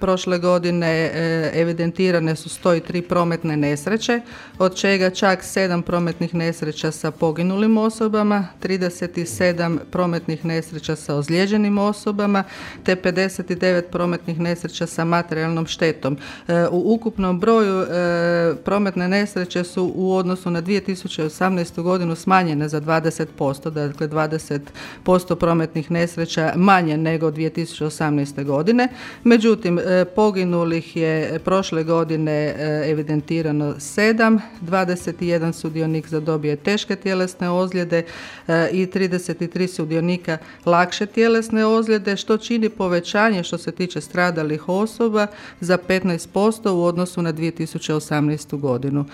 prošle godine evidentirane su 103 prometne nesreće, od čega čak 7 prometnih nesreća sa poginulim osobama, 37 prometnih nesreća sa ozlijeđenim osobama, te 59 prometnih nesreća sa materijalnom štetom. U ukupnom broju prometne nesreće su u odnosu na 2018. godinu smanjene za 20%, dakle 20% prometnih nesreća manje nego 2018. godine. Međutim, poginulih je prošle godine evidentirano 7, 21 sudionik zadobio teške tjelesne ozljede i 33 sudionika lakše tjelesne ozljede, što čini povećanje što se tiče stradalih osoba za 15% u odnosu na 2018. godinu.